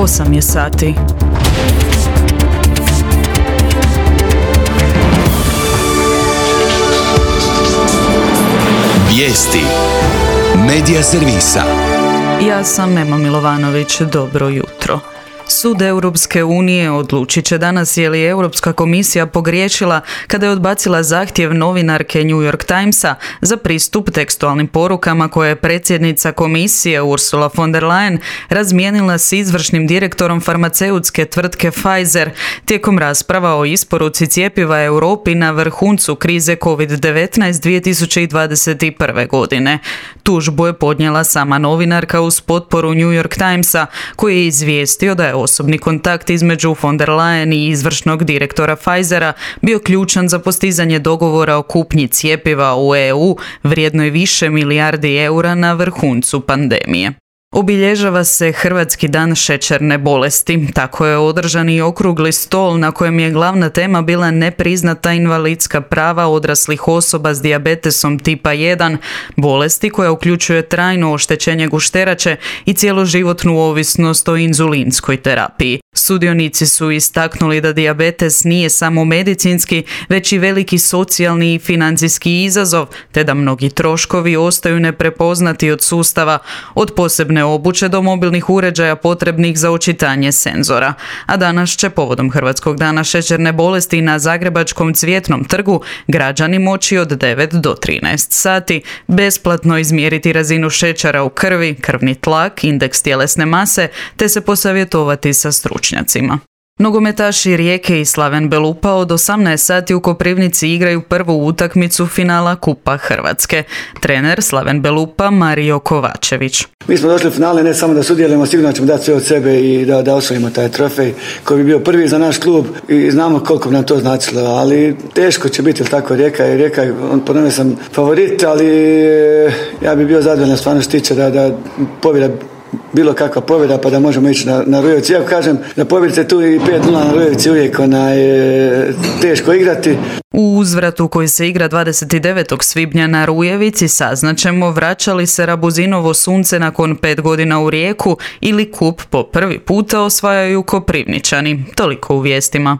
8 je sati. Vijesti Medija servisa. Ja sam Ema Milovanović, dobro jutro. Sud Europske unije odlučit će danas je li Europska komisija pogriješila kada je odbacila zahtjev novinarke New York Timesa za pristup tekstualnim porukama koje je predsjednica komisije Ursula von der Leyen razmijenila s izvršnim direktorom farmaceutske tvrtke Pfizer tijekom rasprava o isporuci cjepiva Europi na vrhuncu krize COVID-19 2021. godine. Tužbu je podnijela sama novinarka uz potporu New York Timesa koji je izvijestio da je osobni kontakt između von der Leyen i izvršnog direktora Pfizera bio ključan za postizanje dogovora o kupnji cjepiva u EU vrijednoj više milijardi eura na vrhuncu pandemije. Obilježava se Hrvatski dan šećerne bolesti. Tako je održan i okrugli stol na kojem je glavna tema bila nepriznata invalidska prava odraslih osoba s dijabetesom tipa 1, bolesti koja uključuje trajno oštećenje gušterače i cjeloživotnu ovisnost o inzulinskoj terapiji. Sudionici su istaknuli da dijabetes nije samo medicinski, već i veliki socijalni i financijski izazov, te da mnogi troškovi ostaju neprepoznati od sustava, od posebne obuće do mobilnih uređaja potrebnih za očitanje senzora. A danas će povodom Hrvatskog dana šećerne bolesti na Zagrebačkom Cvjetnom trgu građani moći od 9 do 13 sati besplatno izmjeriti razinu šećera u krvi, krvni tlak, indeks tjelesne mase, te se posavjetovati sa stručnjacima. Nogometaši Rijeke i Slaven Belupa od 18 sati u Koprivnici igraju prvu utakmicu finala Kupa Hrvatske. Trener Slaven Belupa Mario Kovačević. Mi smo došli u finale ne samo da sudjelujemo, sigurno ćemo dati sve od sebe i da osvojimo taj trofej koji bi bio prvi za naš klub i znamo koliko bi nam to značilo, ali teško će biti, tako Rijeka je, ponovno sam favorit, ali ja bi bio zadovoljan stvarno što tiče da pobjeda bilo kakva pobjeda pa da možemo ići na Rujevici. Iako kažem da pobjedite tu i 5-0 na Rujevici uvijek teško igrati. U uzvratu koji se igra 29. svibnja na Rujevici saznaćemo vraća li se Rabuzinovo sunce nakon 5 godina u Rijeku ili kup po prvi puta osvajaju Koprivničani. Toliko u vijestima.